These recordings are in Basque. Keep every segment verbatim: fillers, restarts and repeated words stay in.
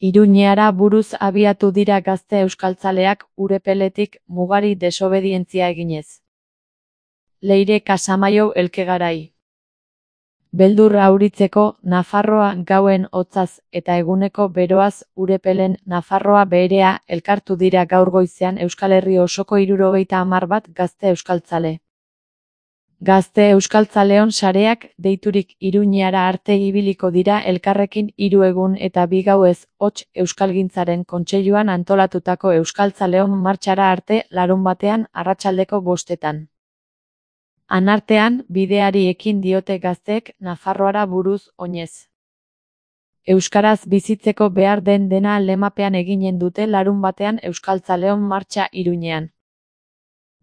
Iruñeara buruz abiatu dira gazte euskaltzaleak Urepeletik mugari desobedientzia eginez. Leire Kasamaio Elkegarai. Beldurra auritzeko, Nafarroa gauen hotzaz eta eguneko beroaz Urepelen Nafarroa beherea elkartu dira gaur goizean Euskal Herri osoko hirurogeita hamar bat gazte euskaltzale. Gazte euskaltzaleon sareak deiturik Iruñeara arte ibiliko dira elkarrekin hiru egun eta bi gauez hots Euskalgintzaren Kontseiluan antolatutako euskaltzaleon martxara arte larunbatean arratsaldeko bostetan. Anartean, bideari ekin diote gazteek Nafarroara buruz oinez. Euskaraz bizitzeko behar den dena lemapean eginen dute larunbatean euskaltzaleon martxa Iruñean.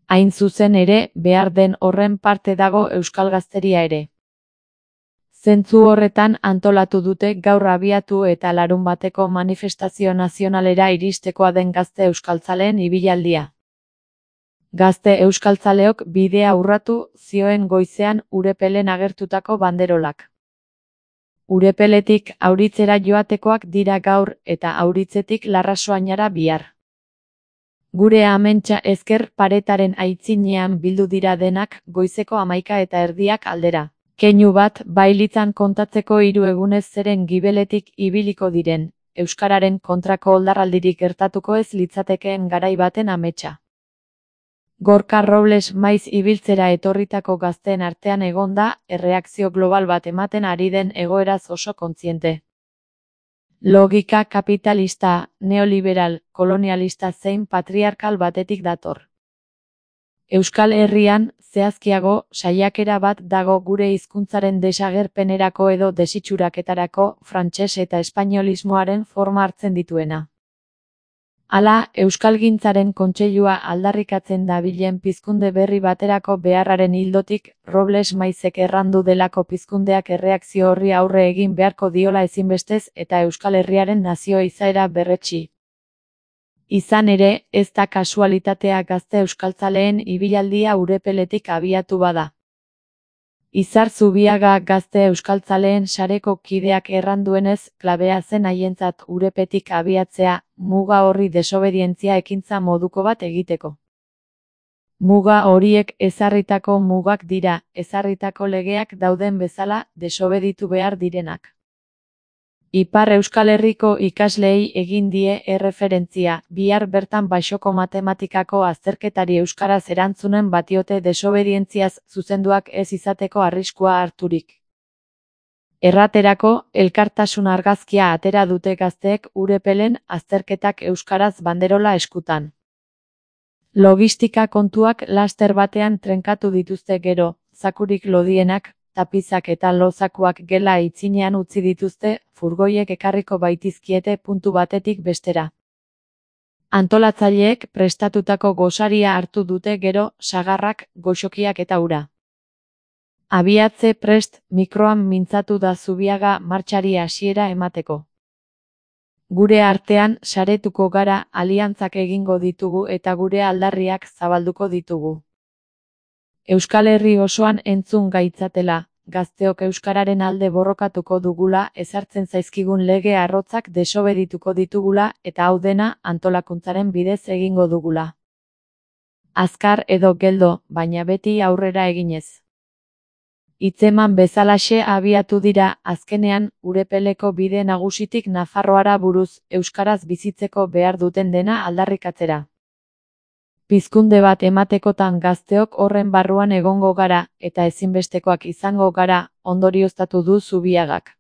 Hain zuzen ere, behar den horren parte dago euskal gazteria ere. Zentzu horretan antolatu dute gaur abiatu eta larunbateko manifestazio nazionalera iristekoa den gazte euskaltzaleen ibilaldia. Gazte euskaltzaleok bidea urratu zioen goizean Urepelen agertutako banderolak. Urepeletik Auritzera joatekoak dira gaur eta Auritzetik Larrasoainara bihar. Gure amentsa ezker paretaren aitzinean bildu dira denak goizeko hamaika eta erdiak aldera. Keinu bat bailitzan kontatzeko hiru egunez zeren gibeletik ibiliko diren, euskararen kontrako oldarraldirik gertatuko ez litzatekeen garai baten ametsa. Gorka Robles maiz ibiltzera etorritako gazteen artean egonda, erreakzio global bat ematen ari den egoeraz oso kontziente. Logika kapitalista, neoliberal, kolonialista zein patriarkal batetik dator. Euskal Herrian, zehazkiago, saiakera bat dago gure hizkuntzaren desagerpenerako edo desitxuraketarako frantses eta espainolismoaren forma hartzen dituena. Hala, Euskalgintzaren Kontseilua aldarrikatzen dabilen pizkunde berri baterako beharraren ildotik, Robles maizek errandu delako pizkundeak erreakzio horri aurre egin beharko diola ezinbestez eta Euskal Herriaren nazio izaera berretsi. Izan ere, ez da kasualitatea gazte euskaltzaleen ibilaldia Urepeletik abiatu bada. Izar Zubiaga gazte euskaltzaleen sareko kideak erranduenez, klabea zen haientzat Urepetik abiatzea, muga horri desobedientzia ekintza moduko bat egiteko. Muga horiek ezarritako mugak dira, ezarritako legeak dauden bezala desobeditu behar direnak. Ipar Euskal Herriko ikasleei egin die erreferentzia, bihar bertan Baxoko matematikako azterketari euskaraz erantzunen batiote desobedientziaz zuzenduak ez izateko arriskua harturik. Erraterako, elkartasun argazkia atera dute gazteek Urepelen azterketak euskaraz banderola eskutan. Logistika kontuak laster batean trenkatu dituzte gero, zakurik lodienak, tapizak eta lozakuak gela itzinean utzi dituzte, furgoiek ekarriko baitizkiete puntu batetik bestera. Antolatzaileek prestatutako gosaria hartu dute gero, sagarrak, goxokiak eta ura. Abiatze prest, mikroan mintzatu da Zubiaga martxari hasiera emateko. Gure artean saretuko gara, aliantzak egingo ditugu eta gure aldarriak zabalduko ditugu. Euskal Herri osoan entzun gaitzatela, gazteok euskararen alde borrokatuko dugula, ezartzen zaizkigun lege arrotzak desobedituko ditugula eta hau dena antolakuntzaren bidez egingo dugula. Azkar edo geldo, baina beti aurrera eginez. Hitzeman bezalaxe abiatu dira, azkenean, Urepeleko bide nagusitik Nafarroara buruz, euskaraz bizitzeko behar duten dena aldarrikatzera. Pizkunde bat ematekotan gazteok horren barruan egongo gara, eta ezinbestekoak izango gara, ondorioztatu du Zubiagak.